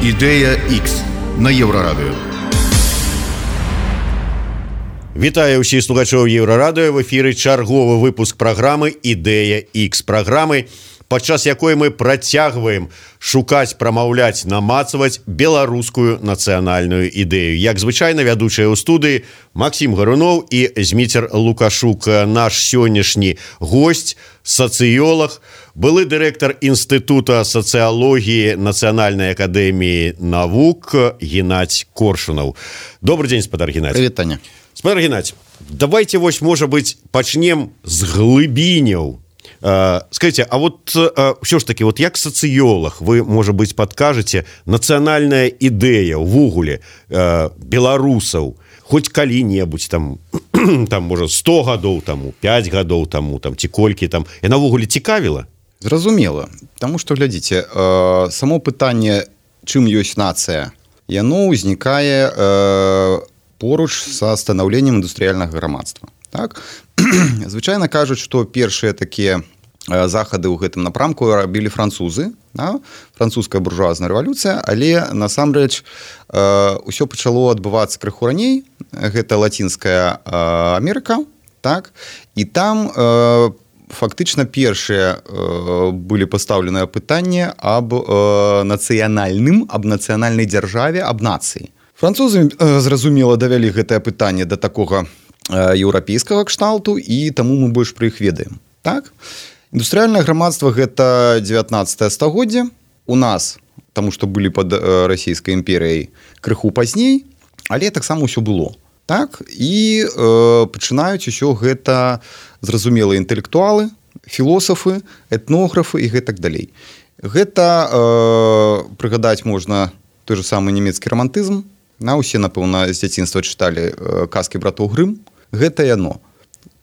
Ідэя X на Еўрарадыё. Вітаю ўсіх слухачоў Еўрарадыё. В эфіры чарговы выпуск праграмы «Ідэя X». Праграмы, падчас якой мы працягваем шукаць, прамаўляць, намацаваць беларускую нацыянальную ідэю. Як звычайна, вядучыя ў студыі Максім Гаруноў і Зміцер Лукашук. Наш сённяшні госць, сацыёлаг, былы дырэктар Інстытута сацыялогіі Нацыянальнай акадэміі навук Геннадзь Коршунаў. Добрый дзень, спадар Геннадзь. Привет, Таня. Спадар Геннадзь, давайте вось, можа быць, пачнем з глыбіняў. Скажите, а вот все ж таки, вот як сацыёлаг вы, можа быць, падкажаце, нацыянальная ідэя ўвогуле беларусаў хоць калі-небудзь там можа 100 гадоў таму, 5 гадоў таму, там ці колькі там, яна ўвогуле цікавіла? Зразумела, таму што, глядзіце, само пытанне, чым ёсць нацыя, яно ўзнікае поруч са станаўленнем індустрыяльнага грамадства. Так? Звычайна кажуць, што першыя такія захады ў гэтым напрамку рабілі французы, да? Французская буржуазная рэвалюцыя, але насамрэч ўсё пачало адбывацца крыху раней, гэта Лацінская Амерыка, так? І там фактычна першыя былі пастаўленыя пытанні аб нацыянальнай дзяржаве, аб нацыі. Французы, зразумела, давялі гэтае пытанне да такога еўрапейскага кшталту, і таму мы больш пра іх ведаем. Так? Індустрыяльнае грамадства – гэта 19 стагоддзе. У нас, таму што былі пад расійскай імперыяй, крыху пазней, але таксама ўсё было. Так? І пачынаюць усё гэта, зразумела, інтэлектуалы, філосафы, этнографы і гэтак далей. Гэта прыгадаць можна той же самы нямецкі рамантызм. Усе, напэўна, з дзяцінства чыталі казкі братоў Грым. Гэта яно.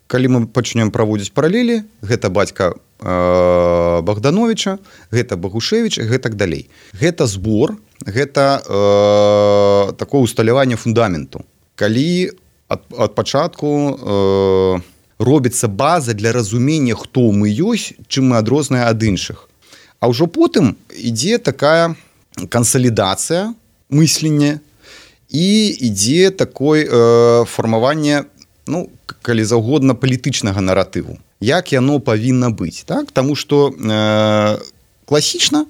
Калі мы пачнем праводзіць паралелі, гэта бацька Богдановича, гэта Багушевіч і гэтак далей. Гэта збор, гэта такое усталяванне фундаменту. Калі ад пачатку робіцца база для разумення, хто мы ёсць, чым мы адрозныя ад іншых. А ўжо потым ідзе такая кансалідацыя мыслення, і ідзе такое фармаванне, калі заўгодна, палітычнага наратыву. Як яно павінна быць. Так? Таму што класічна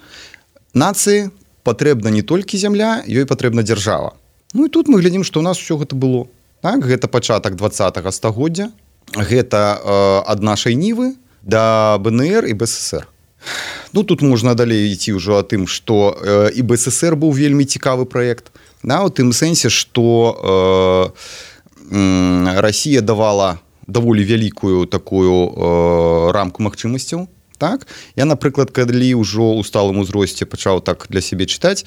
нацыі патрэбна не толькі зямля, ёй патрэбна дзяржава. І тут мы глядзім, што ў нас усё гэта было. Так? Гэта пачатак 20-го стагоддзя, гэта ад нашай нівы да БНР і БССР. Тут можна далей ісці ўжо о тым, што і БССР быў вельмі цікавы праект. У тым сэнсе, што Расія давала даволі вялікую такую рамку магчымасцяў. Так? Я, напрыклад, калі ўжо ў сталым узросце пачаў так для сябе чытаць,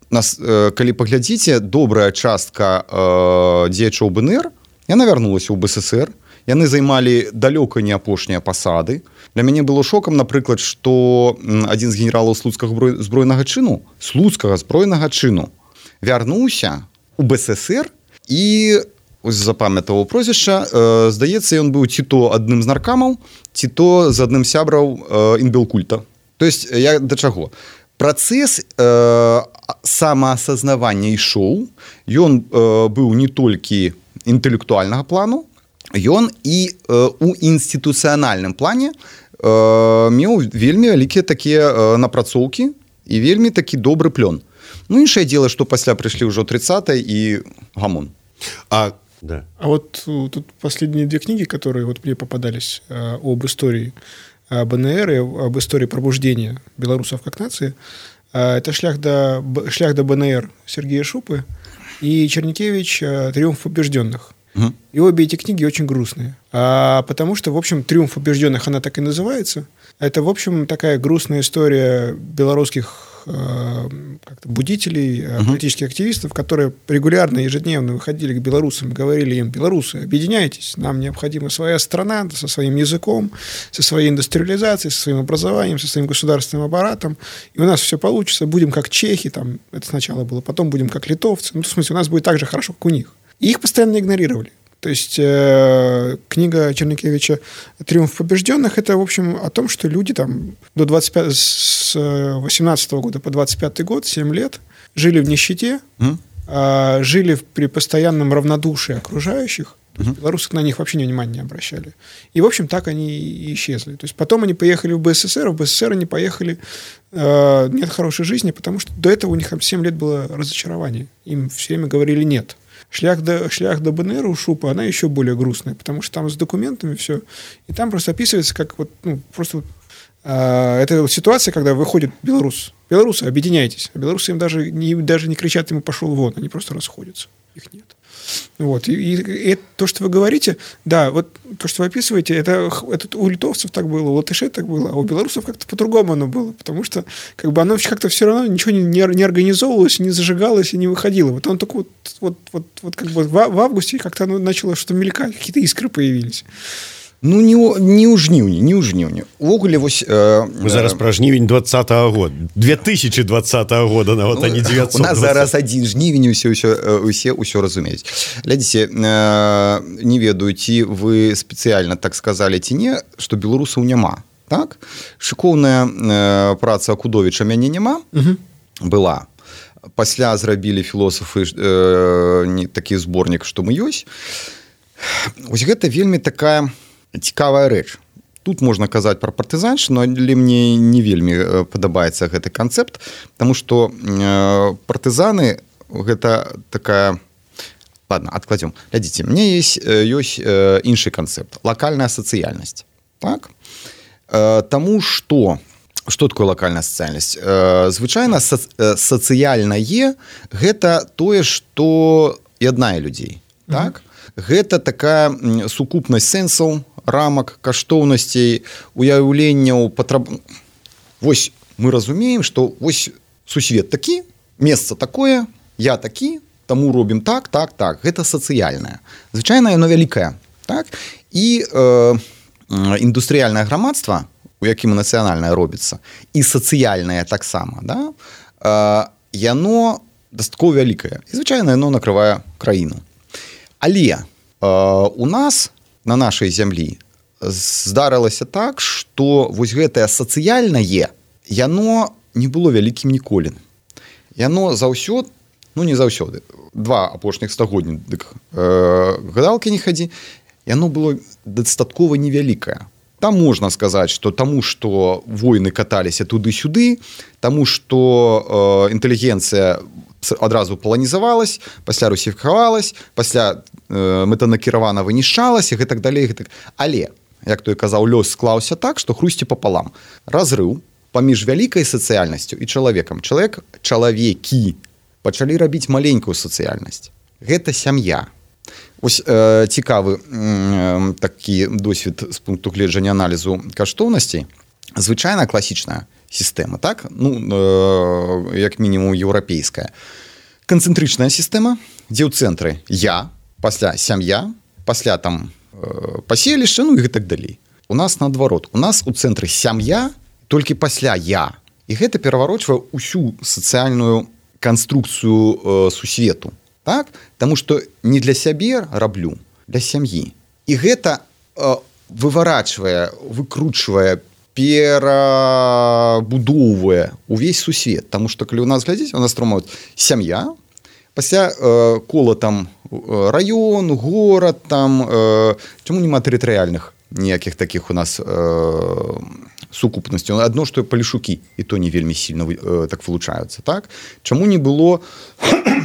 калі паглядзіце, добрая частка дзеячоў БНР, яна вярнулася ў БССР, яны займалі далёка не апошнія пасады. Для мяне было шокам, напрыклад, што адзін з генералаў слуцкага збройнага чыну, вярнуўся ў БССР і запамятаваў прозвішча. Здаецца, ён быў ці то адным з наркамаў, ці то з адным сябраў інбелкульта. То есть, я да чаго? Працэс самаасазнавання ішоў, ён быў не толькі інтэлектуальнага плану, ён і у інстытуцыянальным плане меў вельмі вялікія такія напрацоўкі і вельмі такі добры плён. Іншае дело, што пасля прыйшлі ўжо 30-е і гамон. Да. А вот тут последние две книги, которые вот мне попадались об истории БНР и об истории пробуждения белорусов как нации, это «Шлях до БНР» Сергея Шупы и Чернякевич «Триумф побежденных». И обе эти книги очень грустные. Потому что, в общем, «Триумф побежденных» она так и называется. Это, в общем, такая грустная история белорусских будителей, политических активистов, которые регулярно, ежедневно выходили к белорусам и говорили им: белорусы, объединяйтесь, нам необходима своя страна со своим языком, со своей индустриализацией, со своим образованием, со своим государственным аппаратом, и у нас все получится, будем как чехи, там, это сначала было, потом будем как литовцы, в смысле, у нас будет так же хорошо, как у них. И их постоянно игнорировали. То есть книга Чернякевича «Триумф побежденных» — это, в общем, о том, что люди там с 18 года по 25 год, 7 лет, жили в нищете, жили при постоянном равнодушии окружающих. То есть белорусы на них вообще внимания не обращали. И, в общем, так они и исчезли. То есть потом они поехали в БССР, они поехали, нет хорошей жизни, потому что до этого у них там 7 лет было разочарование. Им все время говорили «нет». Шлях до БНР у Шупа, она еще более грустная, потому что там с документами все. И там просто описывается, как вот, просто это ситуация, когда выходит белорус. Белорусы, объединяйтесь. А белорусы им даже не кричат ему «пошел вон», они просто расходятся. Их нет. Вот. И то, что вы говорите, да, вот то, что вы описываете, это у литовцев так было, у латышей так было, а у белорусов как-то по-другому оно было, потому что как бы оно как-то все равно ничего не организовывалось, не зажигалось и не выходило. Вот оно только вот как бы в августе как-то оно начало что-то мелькать, какие-то искры появились. Ну, не ў жніўні. Увогуле, вось... Мы зараз пра жнівень 20-го года. 2020 года, нават, а не 920. У нас зараз один жнівень, усе разумеюць. Глядзіце, не ведаю, ці вы спецыяльна так сказалі, ці не, што беларусаў няма. Так? Шыкоўная праца Акудовіча «Мяне няма» была. Пасля зрабілі філосафы такі зборнік, што мы ёсць. Вось гэта вельмі такая цікавая рэч. Тут можна казаць пра партызаншчыну, але мне не вельмі падабаецца гэты канцэпт, таму што партызаны гэта такая... Ладно, адкладзём. Глядзіце, мне ёсць іншы канцэпт. Лакальная сацыяльнасць. Так? Таму што... Што такое лакальная сацыяльнасць? Звычайна сацыяльнае гэта тое, што яднае людзей. Так? Гэта такая сукупнасць сэнсаў, рамак, каштоўнасцей, уяўленняў, Вось мы разумеем, што вось сусвет такі, месца такое, я такі, таму робім так. Гэта сацыяльнае. Звычайна яно вялікае. Так? І індустрыяльнае грамадства, у якім нацыянальнае робіцца, і сацыяльнае таксама, да? Яно дастаткова вялікае. І звычайна яно накрывае краіну. Але у нас, на нашай зямлі, здарылася так, што вось гэтае сацыяльнае, яно не было вялікім ніколі. Яно заўсёды, не заўсёды, 2 апошніх стагодні, дык гадалкі не хадзі, яно было дастаткова невялікае. Там можна сказаць, што таму, што войны каталіся туды-сюды, таму, што інтэлігенцыя адразу паланізавалась, пасля русіфікавалась, пасля мэтанакіравана вынішчалась і гэтак далей. Але, як той казаў, лёс склаўся так, што хрусці папалам. Разрыў паміж вялікай сацыяльнасцю і чалавекам. Чалавекі пачалі рабіць маленькую сацыяльнасць. Гэта сям'я. Вось цікавы такі досвед з пункту гледжання аналізу каштоўнасцей. Звычайна класічная сістэма, так? Як мінімум еўрапейская. Канцэнтрычная сістэма, дзе ў цэнтры я, пасля сям'я, пасля там паселішча, і гэтак далей. У нас наадварот. У нас у цэнтры сям'я, толькі пасля я. І гэта пераварочвае ўсю сацыяльную канструкцыю сусвету. Так? Таму што не для сябе раблю, для сям'і. І гэта выварачвае, выкручвае, перабудоўвае увесь сусвет. Таму што калі у нас глядзіць, у нас трымаюць сям'я, пасля кола там раён, горад, там, чаму нема тэрытарыяльных ніякіх такіх у нас сукупнасцяў. Адно, што палішукі, і то не вельмі сильно так вылучаюцца. Так? Чаму не было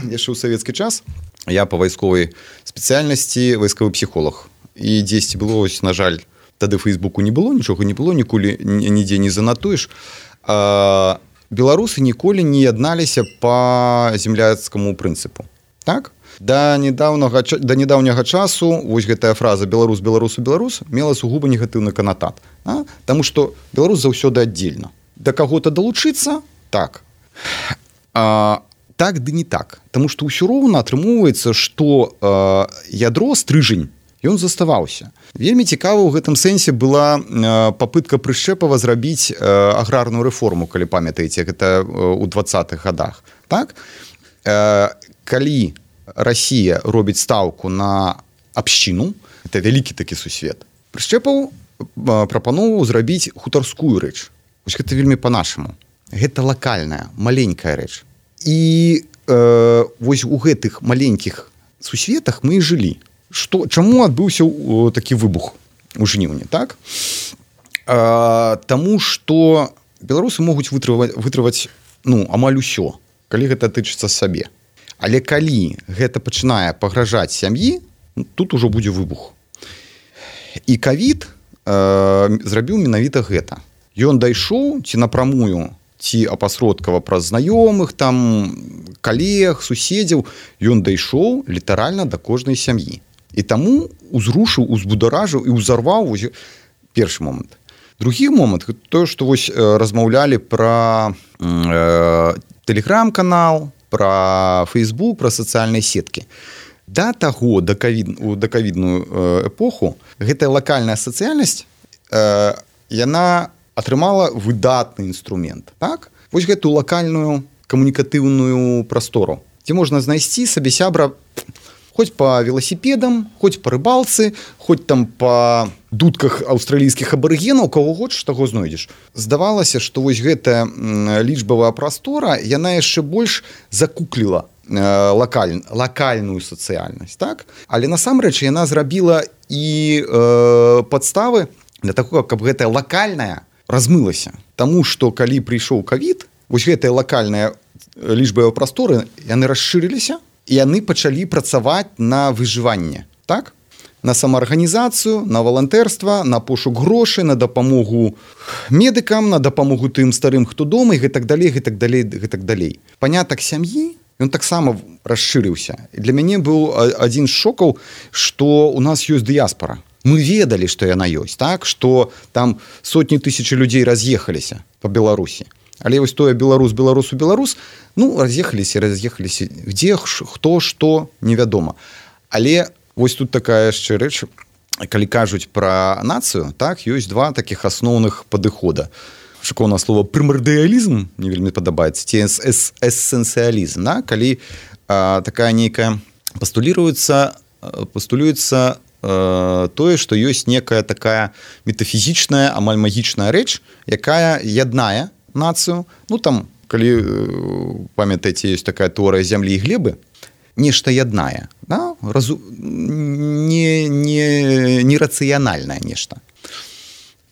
яшчэ ў савецкі час? Я па вайсковай спецыяльнасці вайсковы псіхолог. І дзесьці было, на жаль, тады Фейсбуку не было, нічога не было, ніколі нідзе не занатуеш. Беларусы ніколі не ядналіся па земляцкаму прынцыпу. Так? Да нядаўняга часу вось гэтая фраза «беларус, беларусу, беларус» мела сугуба негатыўны канатат. Таму што беларус заўсёды аддзельна. Да каго-то далучыцца? Так. Так ды не так. Таму што ўсё роўна атрымоўваецца, што ядро, стрыжань, ён заставаўся. Вельмі цікава ў гэтым сэнсе была папытка Прышчэпава зрабіць аграрную рэформу, калі памятаеце, гэта ў 20-х гадах. Так? Калі Расія робіць стаўку на абшчыну, это вялікі такі сусвет, Прышчэпаў прапаноўваў зрабіць хутарскую рэч. Вось гэта вельмі па-нашаму. Гэта лакальная, маленькая рэч. і вось у гэтых маленькіх сусветах мы і жылі. Чаму адбыўся такі выбух у жніўні, так? Таму што беларусы могуць вытрываць амаль усё, калі гэта тычыцца сабе. Але калі гэта пачынае пагражаць сям'і, тут ужо будзе выбух. І ковід зрабіў менавіта гэта. Ён дайшоў ці напрамую, ці апасродкава праз знаёмых, там калег, суседзяў, ён дайшоў літаральна да кожнай сям'і. І таму узрушыў, узбударажыў і ўзарваў першы момант. Другі момант, тое, што вось размаўлялі пра тэлеграм-канал, пра Facebook, пра сацыяльныя сеткі. Да таго, да ковідную эпоху, гэтая лакальная сацыяльнасць, яна атрымала выдатны інструмент. Так? Вось гэтую лакальную камунікатыўную прастору, дзе можна знайсці сабе сябра хоць па веласіпедам, хоць па рыбалцы, хоць там па дудках аўстралійскіх абарыгенаў, каго хочаш, таго знойдзеш. Здавалася, што вось гэтая лічбавая прастора, яна яшчэ больш закукліла лакальную сацыяльнасць, так? Але насамрэч яна зрабіла і падставы для таго, каб гэтая лакальная размылася. Таму што калі прыйшоў ковід, вось гэтыя лакальныя лічбавыя прасторы, яны расшырыліся, і яны пачалі працаваць на выжыванне, так? На самаарганізацыю, на валантэрства, на пошук грошай, на дапамогу медыкам, на дапамогу тым старым, хто дома, і гэтак далей. Панятак сям'і, ён таксама расшырыўся. І для мяне быў адзін з шокаў, што у нас ёсць дыяспара. Мы ведалі, што яна ёсць, так? Што там сотні тысяч людзей раз'ехаліся па Беларусі. Але вось тое беларус, раз'ехаліся, дзе, хто, што, невядома. Але вось тут такая яшчэ рэч, калі кажуць пра нацыю, так, ёсць два такіх асноўных падыхода. Шыкоўнае слово прымардыялізм, мне вельмі падабаецца, ці эссенцыялізм, да? Калі такая нейкая пастулюецца тое, што ёсць некая такая метафізічная, амаль магічная рэч, якая яднае нацыю. Там, калі памятаеце, ёсць такая тэорыя зямлі і глебы, нешта яднае, да? Нерацыянальнае нешта.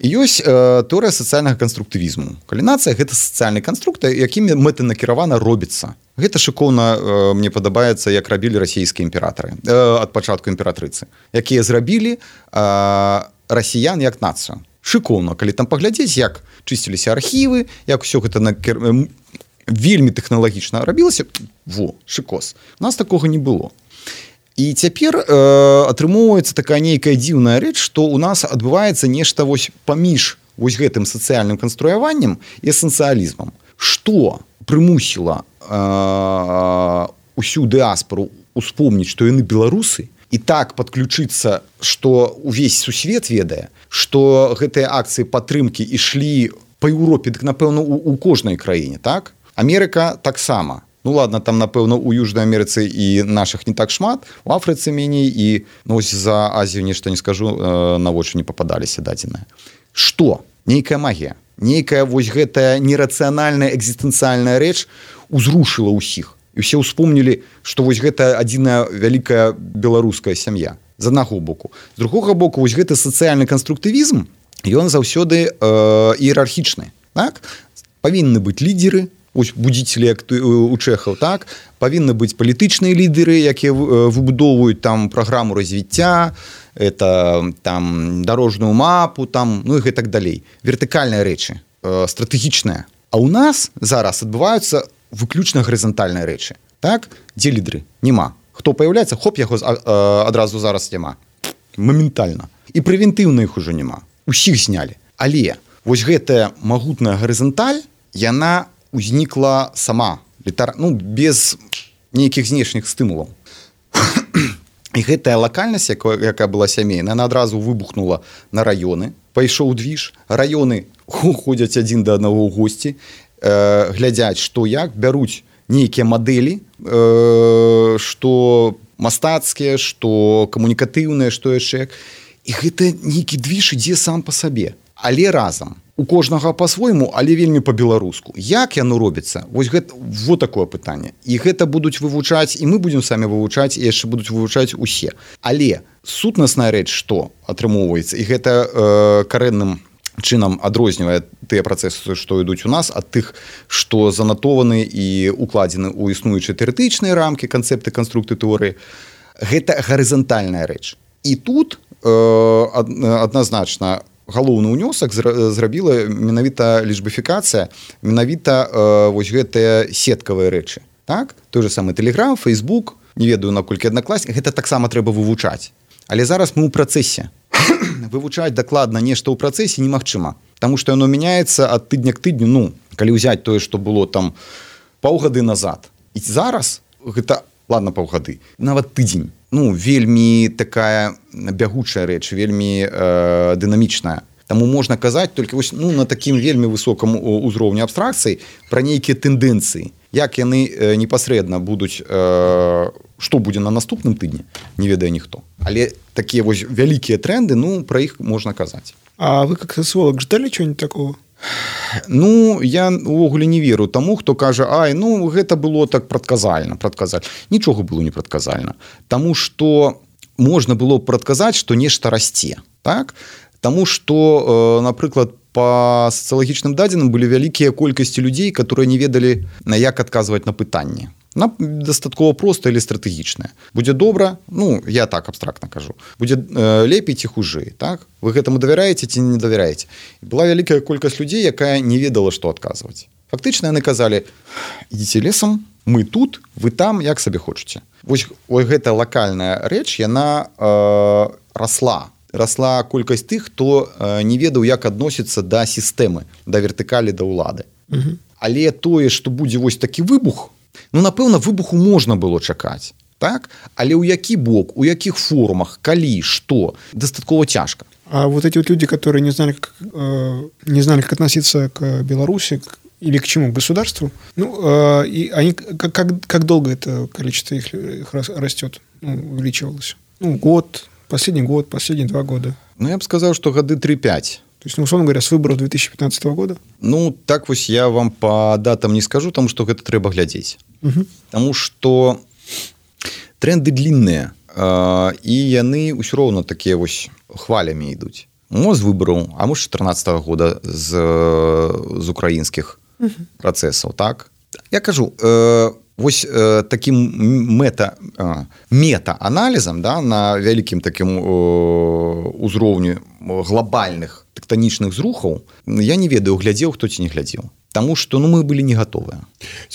І ёсць тэорыя сацыяльнага канструктывізму. Калі нацыя гэта сацыяльны канструктор, якімі мэтанакіравана робіцца. Гэта шыкоўна мне падабаецца, як рабілі расійскія імператары ад пачатку імператрыцы, якія зрабілі расіян як нацыю. Шыкоўна, калі там паглядзець, як чысціліся архівы, як усё гэта вельмі тэхналагічна рабілася, шыкос. У нас такога не было. І цяпер атрымоўваецца такая нейкая дзіўная рэч, што ў нас адбываецца нешта вось паміж вось гэтым сацыяльным канструяваннем і эсэнцыялізмам. Што прымусіла усю дыаспору успомніць, што яны беларусы, і так падключыцца, што увесь сусвет ведае, што гэтыя акцыі падтрымкі ішлі па Еўропе, дык, напэўна, у кожнай краіне, так? Амерыка таксама. Ладно, там, напэўна, у Южнай Амерыцы і нашых не так шмат, у Афрыцы меней, і за Азію нешта не скажу, на вочы не пападаліся дадзеныя. Што? Нейкая магія. Нейкая вось гэтая нерацыянальная экзістэнцыяльная рэч узрушыла ўсіх. І ўсе ўспомнілі, што вось гэта адзіная вялікая беларуская сям'я. З аднаго боку. З другога боку, вось гэты сацыяльны канструктывізм, ён заўсёды іерархічны. Так? Павінны быць лідеры, ось будзіцелі, як у чэхаў, так? Павінны быць палітычныя лідеры, якія выбудоўваюць там праграму развіцця, там дарожную мапу, там, і гэтак далей. Вертыкальныя рэчы, стратэгічныя. А ў нас зараз адбываюцца выключна гарызантальныя рэчы. Так? Дзе лідеры? Нема. Хто паяўляецца? Хоп, яго адразу зараз няма. Моментальна. І прэвентыўна іх ужо няма. Усіх знялі. Але вось гэтая магутная гарызанталь, яна узнікла сама. Без нейкіх знешніх стымулаў. І гэтая лакальнасць, якая была сямейная, яна адразу выбухнула на раёны. Пайшоў двіж. Раёны ходзяць адзін да аднаго ў госці, глядзяць, што як, бяруць нейкія мадэлі, што мастацкія, што камунікатыўныя, што яшчэ як. І гэта нейкі двіж ідзе сам па сабе. Але разам у кожнага по-свойму, але вельмі по-беларуску. Як яно робіцца? Вось гэта вот такое пытанне. І гэта будуць вывучаць, і мы будзем самі вывучаць, і яшчэ будуць вывучаць усе. Але сутнасная рэч, што атрымоўваецца, і гэта карэнным чынам адрознівае тыя працэсы, што ідуць у нас, ад тых, што занатованы і укладзены ў існуючыя тэарэтычныя рамкі, канцэпты, канструкты тэорыі. Гэта гарызантальная рэч. І тут адназначна галоўны ўнёсак зрабіла менавіта лічбіфікацыя, менавіта вось гэтыя сеткавыя рэчы. Так? Той же самы Telegram, Facebook, не ведаю, наколькі аднакласнік, гэта таксама трэба вывучаць. Але зараз мы ў працэсе. Вывучаць дакладна нешта ў працэсе немагчыма, таму што яно мяняецца ад тыдня к тыдню, ну, калі ўзяць тое, што было там паўгады назад. І зараз гэта, ладно, паўгады, нават тыдзень. Ну, вельмі такая бягучая рэч, вельмі дынамічная. Таму можна казаць толькі вось, ну, на такім вельмі высокам узроўні абстракцыі пра нейкія тэндэнцыі. Як яны непасрэдна будуць, што будзе на наступным тыдні, не ведае ніхто. Але такія вось вялікія тренды, ну, пра іх можна казаць. А вы как социолог ждали чего-нибудь такого? Ну, я увогуле не веру таму, хто кажа, ай, ну, гэта было так прадказальна. Нічога было не прадказальна. Таму што можна было прадказаць, што нешта расце. Так? Таму што, напрыклад, па сацыялагічным дадзеным былі вялікія колькасці людзей, которые не ведалі, як адказваць на пытанні. Дастаткова простае или стратэгічнае. Будзе добра, ну, я так абстрактна кажу, будзе лепей ці хужэй, так? Вы гэтаму давяраеце ці не давяраеце? Была вялікая колькасць людзей, якая не ведала, што адказваць. Фактычна яны казалі, ідзіце лесам, мы тут, вы там, як сабе хочаце. Вось гэта лакальная рэч, яна расла колькасць тых, хто не ведаў, як адносіцца да сістэмы, да вертыкалі, да ўлады. Але тое, што будзе вось такі выбух, ну, напэўна, выбуху можна было чакаць, так? Але ў які бок, у якіх формах, калі, што, дастаткова цяжка. А вот эти вот люди, которые не знали, как относиться к Беларуси или к чему, к государству, ну, и они, как долго это количество их растет, ну, увеличивалось? Ну, последний год, последние 2 года. Ну, я бы сказал, что годы 3-5. То есть, ну, условно говоря, с выборов 2015 года? Ну, так вось я вам по датам не скажу, тому что гэта трэба глядзець. Тому что тренды длинныя, і яны ўсё роўна такія вось хвалямі ідуць. Мо з выбараў, а мо з 14 года з украінскіх працэсаў, так? Я кажу, вось таким мета-аналізам, да, на вялікім такім узроўні глобальных тэктанічных зрухаў, я не ведаю, глядзеў, хто ці не глядзеў. Таму што, ну, мы былі не гатовыя.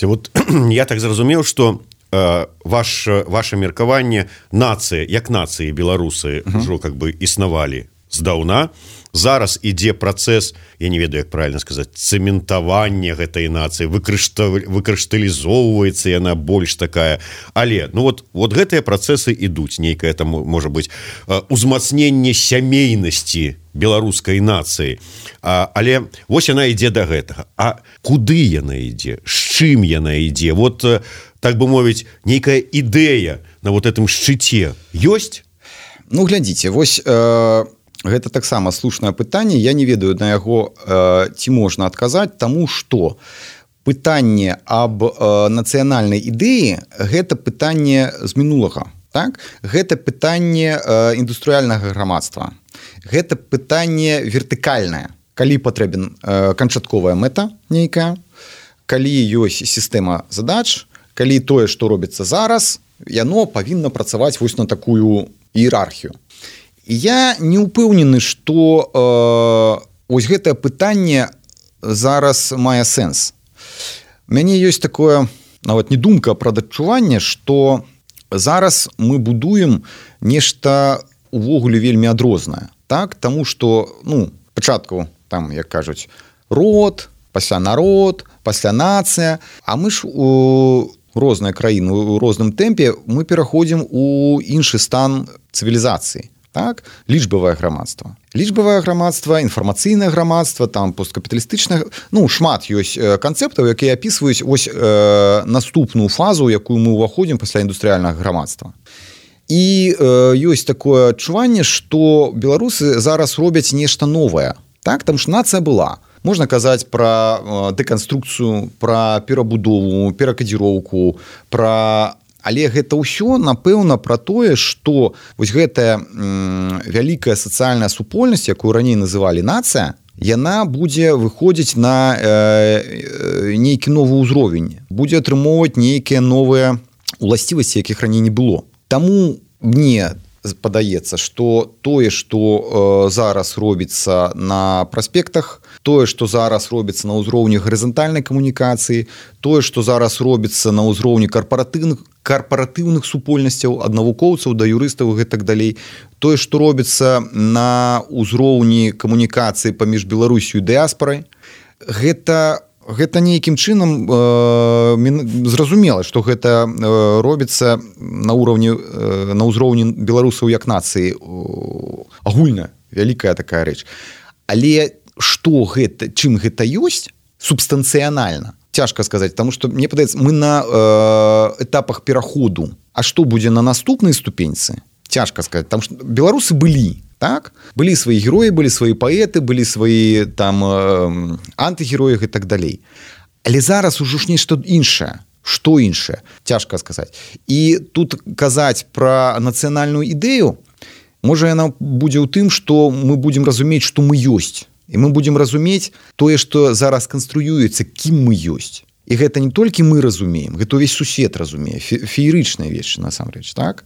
Вот я так зразумеў, што ваше меркаванне, нацыя, як нацыі беларусы ўжо как бы існавалі здаўна, зараз ідзе працэс, я не ведаю, як правильно сказаць, цэментавання гэтай нацыі, выкрышталізоўваецца яна больш такая. Але, ну вот гэтыя працэсы ідуць, нейкае там, можа быць, узмацненне сямейнасці беларускай нацыі. Але вось яна ідзе да гэтага. А куды яна ідзе? З чым яна ідзе? Вот, так бы мовіць, нейкая ідэя на вот этом шчыце ёсць? Ну, глядзіце, вось гэта таксама слушнае пытанне. Я не ведаю на яго, ці можна адказаць, таму што пытанне аб нацыянальнай ідэі – гэта пытанне з мінулага. Так? Гэта пытанне індустрыяльнага грамадства. Гэта пытанне вертыкальнае. Калі патрэбен канчатковая мэта нейкая, калі ёсць сістэма задач, калі тое, што робіцца зараз, яно павінна працаваць вось на такую іерархію. Я не ўпэўнены, што ось гэтае пытанне зараз мае сэнс. У мяне ёсць такое, нават не думка, а прададчуванне, што зараз мы будуем нешта увогуле вельмі адрознае. Так? Таму што, ну, пачатку, там, як кажуць, род, пасля народ, пасля нацыя, а мы ж у розныя краіны, у розным тэмпе мы пераходзім у іншы стан цывілізацыі. Так? Лічбавае грамадства. Лічбавае грамадства, інфармацыйнае грамадства, там посткапіталістычнае, ну, шмат ёсць канцэптаў, якія апісваюць ось наступную фазу, якую мы ўваходзім пасля індустрыяльнага грамадства. І ёсць такое адчуванне, што беларусы зараз робяць нешта новае. Так? Там ж нацыя была. можна казаць пра дэканструкцыю, пра перабудову, перакадзіроўку, пра... Але гэта ўсё, напэўна, пра тое, што вось гэтая вялікая сацыяльная супольнасць, якую раней называлі нацыя, яна будзе выходзіць на нейкі новы ўзровень, будзе атрымоўваць нейкія новыя уласцівасці, якіх раней не было. Таму мне падаецца, што тое, што зараз робіцца на праспектах, тое, што зараз робіцца на ўзроўні гарызантальнай камунікацыі, тое, што зараз робіцца на ўзроўні карпаратыўных супольнасцяў, ад навукоўцаў да юрыстаў і гэтак далей, тое, што робіцца на ўзроўні камунікацыі паміж Беларусю і дыяспарай, гэта нейкім чынам зразумела, што гэта робіцца на ўзроўні беларусаў як нацыі, агульная, вялікая такая рэч. Але што гэта, чым гэта ёсць субстанцыянальна, цяжка сказаць, потому што мне падаецца, мы на этапах пераходу. А што будзе на наступнай ступеньцы? Цяжка сказаць, потому што беларусы былі, так? Былі свае героі, былі свае паэты, былі свае там антыгероі і так далей. Але зараз ужо ж нешта іншае. Што іншае? Цяжка сказаць. І тут казаць пра нацыянальную ідэю, можа яна будзе ў тым, што мы будзем разумець, што мы ёсць. І мы будзем разумець тое, што зараз канструюецца, кім мы ёсць. І гэта не толькі мы разумеем, гэта ўвесь сусед разумее, феерычная вещь насамрэч, так?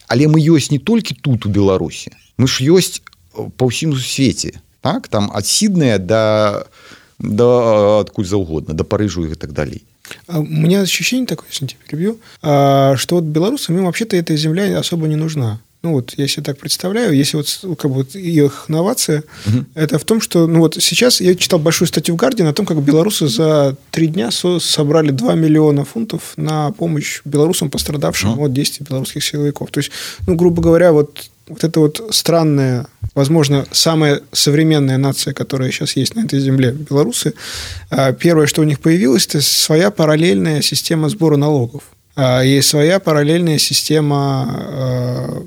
Але мы ёсць не толькі тут у Беларусі, мы ж ёсць па ўсім свеце, так? Там ад Сіднея да адкуль заўгодна, да Парыжу и так далее. У меня ощущение такое, если тебя перебью, что вот белорусам им вообще-то эта земля особо не нужна. Ну вот, я себе так представляю, если вот как бы вот их новация, это в том, что, ну вот сейчас я читал большую статью в Guardian о том, как белорусы за 3 дня собрали 2 миллиона фунтов на помощь белорусам, пострадавшим от действий белорусских силовиков. То есть, ну, грубо говоря, вот эта вот странная, возможно, самая современная нация, которая сейчас есть на этой земле, белорусы, первое, что у них появилось, это своя параллельная система сбора налогов. И своя параллельная система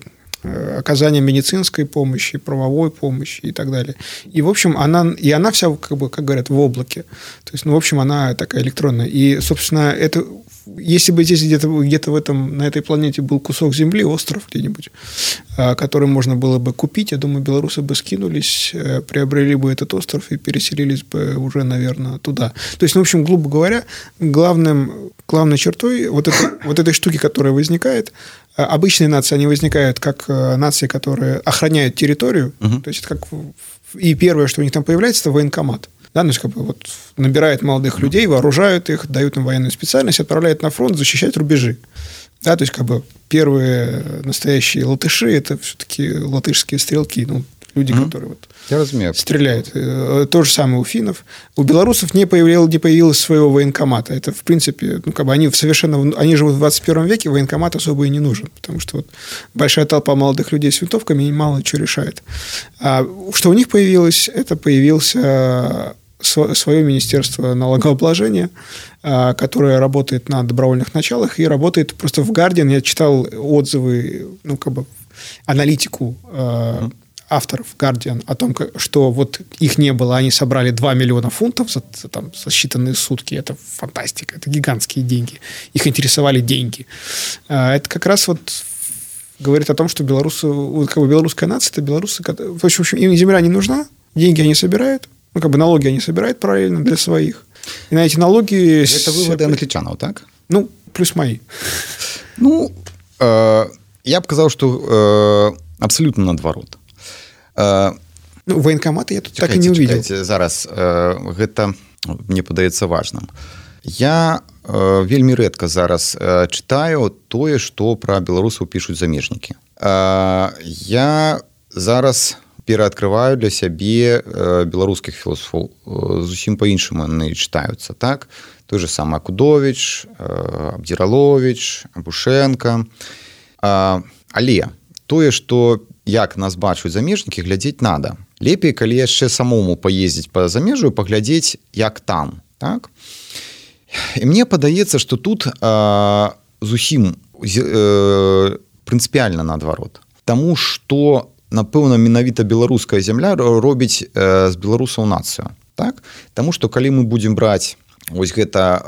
оказания медицинской помощи, правовой помощи и так далее. И, в общем, она вся, как бы, как говорят, в облаке. То есть, ну, в общем, она такая электронная. И, собственно, это... Если бы здесь где-то на этой планете был кусок земли, остров где-нибудь, который можно было бы купить, я думаю, белорусы бы скинулись, приобрели бы этот остров и переселились бы уже, наверное, туда. То есть, ну, в общем, грубо говоря, главной чертой вот этой штуки, которая возникает, обычные нации, они возникают как нации, которые охраняют территорию, то есть, как... И первое, что у них там появляется, это военкомат. Да, ну, как бы вот набирают молодых людей, вооружают их, дают им военную специальность, отправляют на фронт защищать рубежи. Да, то есть, как бы первые настоящие латыши – это все-таки латышские стрелки, ну, люди, которые вот стреляют. То же самое у финнов. У белорусов не появилось своего военкомата. Это, в принципе, ну, как бы они живут в 21 веке, военкомат особо и не нужен, потому что вот большая толпа молодых людей с винтовками мало чего решает. А что у них появилось? Это появился свое министерство налогообложения, которое работает на добровольных началах и работает просто в Guardian. Я читал отзывы, ну, как бы аналитику авторов Guardian о том, что вот их не было, они собрали 2 миллиона фунтов за считанные сутки. Это фантастика, это гигантские деньги. Их интересовали деньги. Это как раз вот говорит о том, что белорусы, как бы белорусская нация, это белорусы, в общем, им земля не нужна, деньги они собирают, ну, как бы налоги они собирают параллельно для своих. И на эти налоги... Это выводы англичанов, так? Ну, плюс мои. Ну, я б казаў, што абсолютно наадварот. Ну, военкоматы я тут так и не увидел. Зараз гэта мне падаецца важным. Я вельмі рэдка зараз чытаю тое, што пра беларусаў пішуць замежнікі. Я зараз пераадкрываю для сябе беларускіх філософаў, зусім па-іншаму яны чытаюцца, так? Той же самы Акудовіч, Абдзіраловіч, Абушенко. Але тое, што як нас бачуць замежнікі, глядзець надо. Лепей, калі яшчэ самому паездзіць па замежжу, паглядзець, як там, так? І мне падаецца, што тут зусім прынцыпіяльна наадварот. Таму што, напэўна, менавіта беларуская зямля робіць з беларусаў нацыю. так? Таму што калі мы будзем браць вось гэта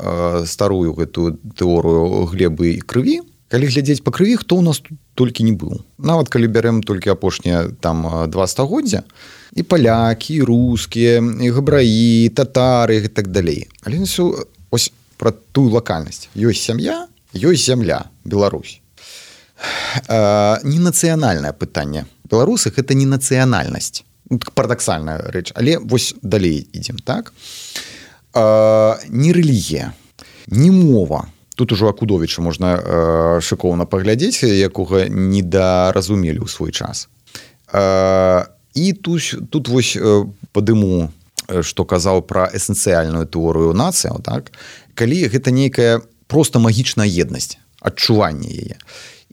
старую гэтую тэорыю глебы і крыві, калі глядзець па крыві, хто ў нас тут толькі не быў. Нават калі бярэм толькі апошнія там 2 стагоддзя, і палякі, і рускія, і габраі, татары і так далей. Але ось пра тую лакальнасць. Ёсць сям'я, ёсць зямля, Беларусь. Не нацыянальнае пытанне. Беларусы гэта не нацыянальнасць. Парадаксальная рэч, але вось далей ідзем, так? Не рэлігія, не мова. Тут ужо Акудовіча можна шыкоўна паглядзець, якога недаразумелі ў свой час. І тут вось падыму, што казаў пра эсэнцыяльную тэорыю нацыяў, так? Калі гэта нейкая проста магічная еднасць, адчуванне яе.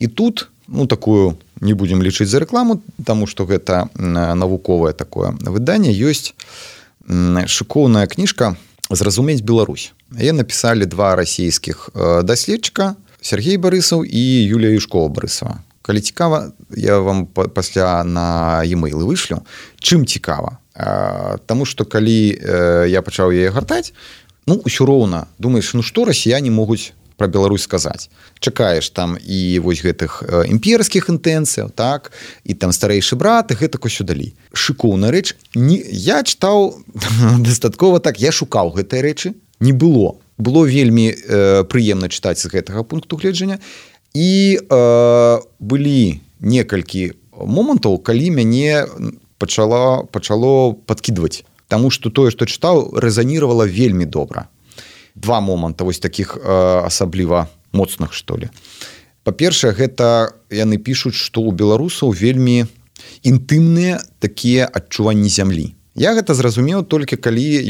І тут, такую не будзем лічыць за рэкламу, таму што гэта навуковае такое выданне, ёсць шыкоўная кніжка «Зразумець Беларусь». Яе напісалі 2 расійскіх даследчыка, Сергей Барысаў і Юлія Юшкова-Барысава. Калі цікава, я вам пасля на e-mail вышлю. Чым цікава? Таму што калі я пачаў яе гартаць, ўсё роўна думаеш, што расіяне могуць пра Беларусь сказаць. Чакаеш там і вось гэтых імперскіх інтэнцыяў, так, і там старэйшы брат, і гэтак усё далей. Шыкоўная рэч. Я чытаў дастаткова так, я шукаў гэтыя рэчы, не было. Было вельмі прыемна чытаць з гэтага пункту гледжання. І былі некалькі момантаў, калі мяне пачало падкідваць. Таму што тое, што чытаў, рэзаніравала вельмі добра. 2 моманта вось такіх асабліва моцных, што ли. Па-першае, гэта яны пішуць, што ў беларусаў вельмі інтымныя такія адчуванні зямлі. Я гэта зразумеў толькі калі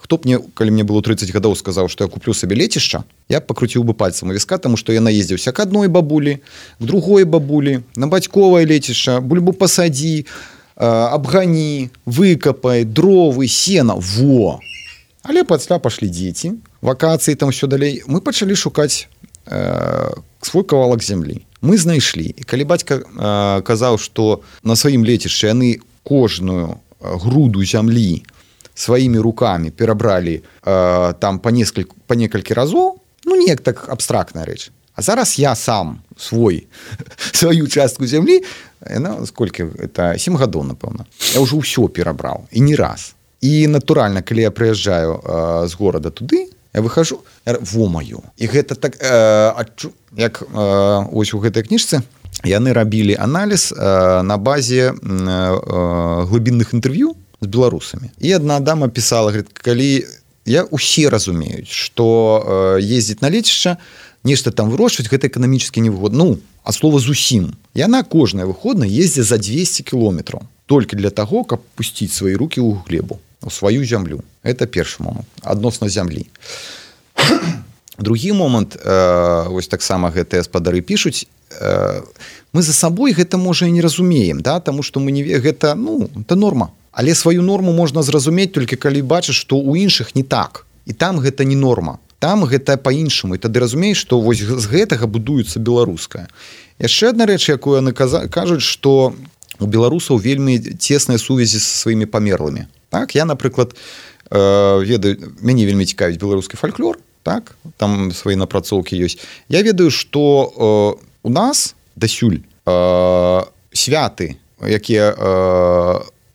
калі мне было 30 гадоў, сказаў, што я куплю сабе лецішча, я пакруціў бы пальцам у віска, таму што я наездзіўся к адной бабулі, к другой бабулі, на бацьковае лецішча, бульбу пасадзі, абгані, выкапай, дровы, сена, во! Але пасля пашлі дзеці, вакацыі, там ўсё далей. Мы пачалі шукаць свой кавалак зямлі. Мы знайшлі. І калі бацька казаў, што на сваім лецішчы яны кожную груду зямлі сваімі рукамі перабралі там па некалькі разоў, неяк так абстрактная рэч. А зараз я сам сваю частку зямлі, сколькі, это 7 гадоў, напэўна, я ўжо ўсё перабраў, і не раз. І натуральна, калі я прыязджаю з горада туды, я выхожу, во-маю. І гэта так, як ось у гэтай кніжцы, яны рабілі аналіз на базе глыбінных інтэрв'ю з беларусамі. І адна дама пісала, говорит, калі усе разумеюць, што ездзіць на лецішча, нешта там вырошчваць, гэта эканамічна невыгодна. А слова зусім. Яна кожная выходная ездзіць за 200 кіложметраў. Толькі для таго, каб пусціць свае рукі ў глебу, у сваю зямлю. Это першы момант, адносна зямлі. Другі момант, вось таксама гэтыя спадары пішуць, мы за сабой гэта, можа, і не разумеем, да? Таму што мы не гэта, это норма. Але сваю норму можна зразумець толькі калі бачыш, што ў іншых не так. І там гэта не норма. Там гэта па-іншаму. І тады разумееш, што вось з гэтага будуецца беларускае. Яшчэ адна рэч, якую яны кажуць, што у беларусаў вельмі цесныя сувязі са сваімі памерлымі. Так, я, напрыклад, ведаю, мяне вельмі цікавіць беларускі фальклор, так, там свае напрацоўкі ёсць. Я ведаю, што у нас дасюль святы, якія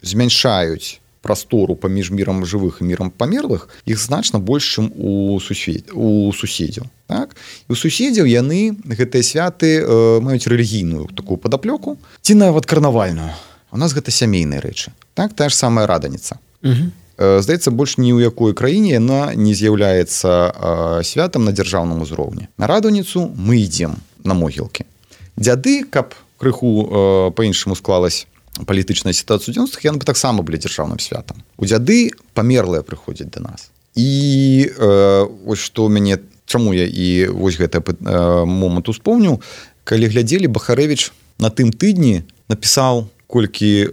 змяншаюць прастору паміж мірам жывых і мірам памерлых, іх значна больш, чым у суседзяў. Так? І у суседзяў яны, гэтыя святы, маюць рэлігійную такую падаплёку, ці нават карнавальную. У нас гэта сямейныя рэчы. Так? Тая ж самая раданіца. Здаецца, больш ні ў якой краіне яна не з'яўляецца святам на дзяржаўным узроўні. На раданіцу мы ідзем на могілкі. Дзяды, каб крыху па-іншаму склалась палітычная сітуацыя ў 90-х, яны бы таксама былі дзяржаўным святам. У дзяды памерлыя прыходзяць да нас. І вось што мяне, чаму я і вось гэты момант успомніў, калі глядзелі, Бахарэвіч на тым тыдні напісаў колькі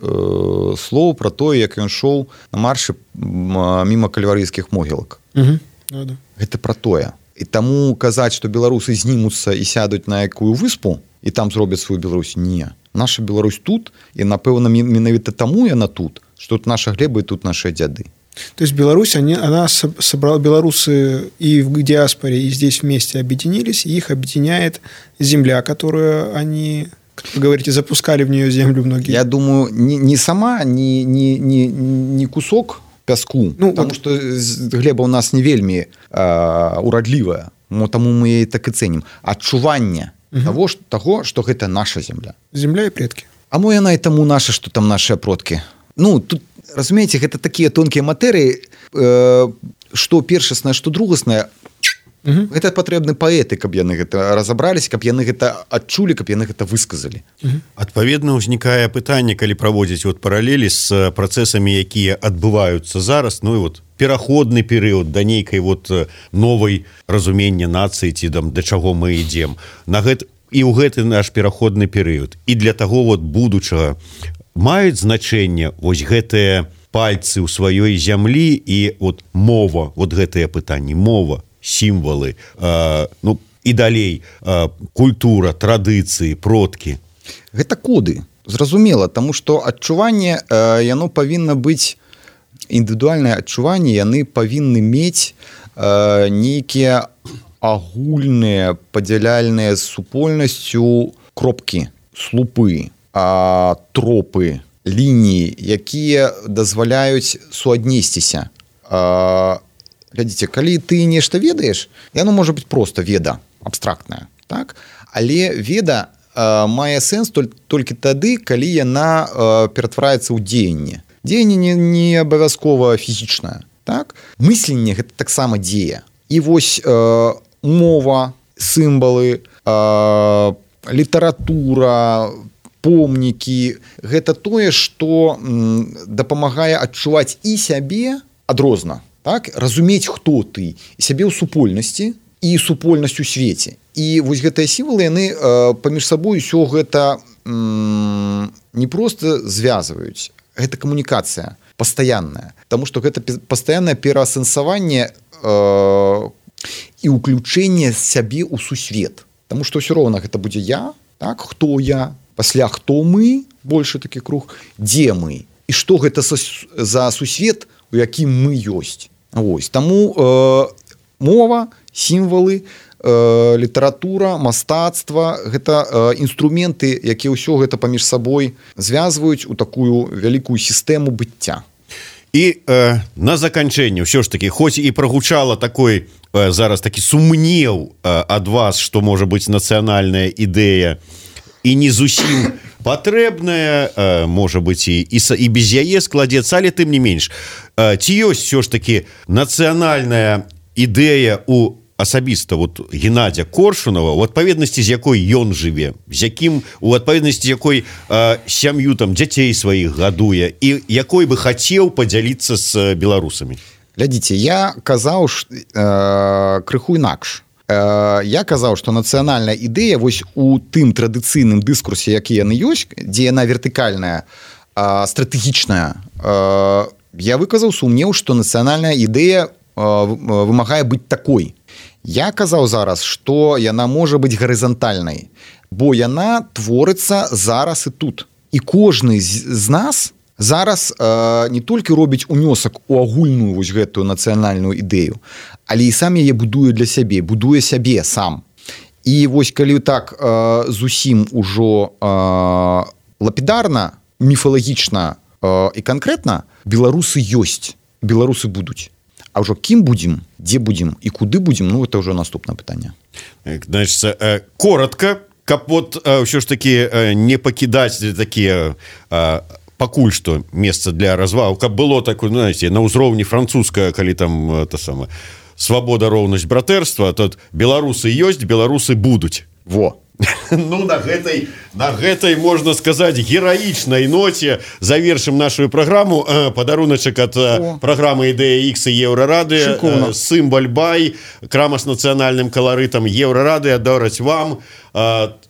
слоў пра тое, як ён шоў на маршы міма кальварыйскіх могілак. Гэта пра тое. І таму казаць, што беларусы знімуцца і сядуць на якую выспу, і там зробяць сваю Беларусь, не. Наша Беларусь тут, і, напэўна, менавіта таму яна тут, што тут наша глеба і тут нашыя дзяды. То есть Беларусь, она собрала, белорусы и в диаспоре, и здесь вместе объединились, и их объединяет земля, которую они, как вы говорите, запускали в нее землю многие. Я думаю, не сама, не кусок пяску, потому что глеба у нас не вельмі урадлівая, таму мы яе так і цэнім. Адчуванне того, што гэта наша земля. Земля і предкі. А мо яна і таму наша, што там нашыя продкі. Тут, разумееце, гэта такія тонкія матэрыі, што першаснае, што другаснае, гэта патрэбны паэты, каб яны гэта разабраліся, каб яны гэта адчулі, каб яны гэта высказалі. Адпаведна, ўзнікае пытанне, калі праводзіць паралелі з працэсамі, якія адбываюцца зараз, пераходны перыяд да нейкай новай разумення нацыі, ці да чаго мы ідзем. І ў гэты наш пераходны перыяд. І для таго будучага маюць значэнне гэтыя пальцы ў сваёй зямлі і мова, гэтыя пытанні, мова, сімвалы, і далей культура, традыцыі, продкі. Гэта коды, зразумела, таму што адчуванне, яно павінна быць, індывідуальнае адчуванне, яны павінны мець нейкія агульныя падзяляльныя з супольнасцю кропкі, слупы, тропы, лініі, якія дазваляюць суаднесціся. Глядзіце, калі ты нешта ведаеш, яно можа быць проста веда, абстрактная, так? Але веда мае сэнс толькі тады, калі яна ператвараецца ў дзеянне. Дзеянне не абавязкова фізічнае, так? Мысленне гэта таксама дзея. І мова, сімвалы, літаратура, помнікі, гэта тое, што дапамагае адчуваць і сябе адрозна, так? Разумець, хто ты, і сябе ў супольнасці, і супольнасць у свеце. І гэтыя сімвалы, яны паміж сабой усё гэта не проста звязваюць, гэта камунікацыя пастаянная, таму што гэта пастаяннае пераасэнсаванне і ўключэнне сябе ў сусвет. Таму што ўсё роўна гэта будзе я, так? Хто я, пасля хто мы, большы такі круг, дзе мы, і што гэта за сусвет, у якім мы ёсць. Таму мова, сімвалы, літаратура, мастацтва, гэта інструменты, якія ўсё гэта паміж сабой звязваюць у такую вялікую сістэму быцця. І на заканчэнне ўсё ж такі, хоць і прагучала такой зараз такі сумнеў ад вас, што можа быць нацыянальная ідэя і не зусім патрэбная, можа быць і без яе складзецца, але тым не менш, ці ёсць ўсё ж такі нацыянальная ідэя у асабіста Геннадзя Коршунова, у адпаведнасці з якой ён жыве, з якім, у адпаведнасці з якой сям'ю дзяцей сваіх гадуе, і якой бы хацеў падзяліцца з беларусамі? Глядзіце, я казаў крыху інакш. Я казаў, што нацыянальная ідэя у тым традыцыйным дыскурсе, які яны ёсць, дзе яна вертыкальная, стратэгічная, я выказаў сумнеў, што нацыянальная ідэя вымагае быць такой. Я казаў зараз, што яна можа быць гарызантальнай, бо яна творыцца зараз і тут. І кожны з нас зараз не толькі робіць унёсак у агульную гэтую нацыянальную ідэю, але і сам яе будуе для сябе, будуе сябе сам. І калі так зусім ужо лапідарна, міфалагічна і канкрэтна, беларусы ёсць, беларусы будуць. А ўжо кім будзем, дзе будзем і куды будзем, гэта ўжо наступнае пытанне. Значит, коротко, каб ўсё ж такі не пакідаць такія пакуль што месца для развагу, каб было такое, знаете, на ўзроўні французская, калі там свабода, роўнасць, братэрства, то беларусы ёсць, беларусы будуць. Во. На гэтай, можна сказаць, гераічнай ноце завершым нашу праграму. Падаруначак ад праграмы «Ідэя Х» і Еўрарадыё, сімвал бай, крама з нацыянальным каларытам Еўрарадыё дараць вам.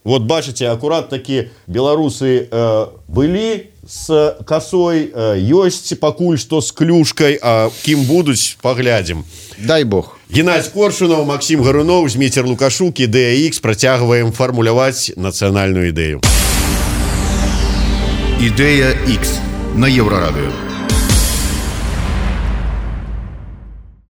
Бачыце, акурат такі беларусы былі з касой, ёсць пакуль што з клюшкай, а кім будуць, паглядзім. Дай Бог. Геннадзь Коршунов, Максим Гарунов, Зміцер Лукашук, «Ідэя Х». Працягваем фармуляваць нацыянальную ідэю. «Ідэя Х» на Еўрарадыё.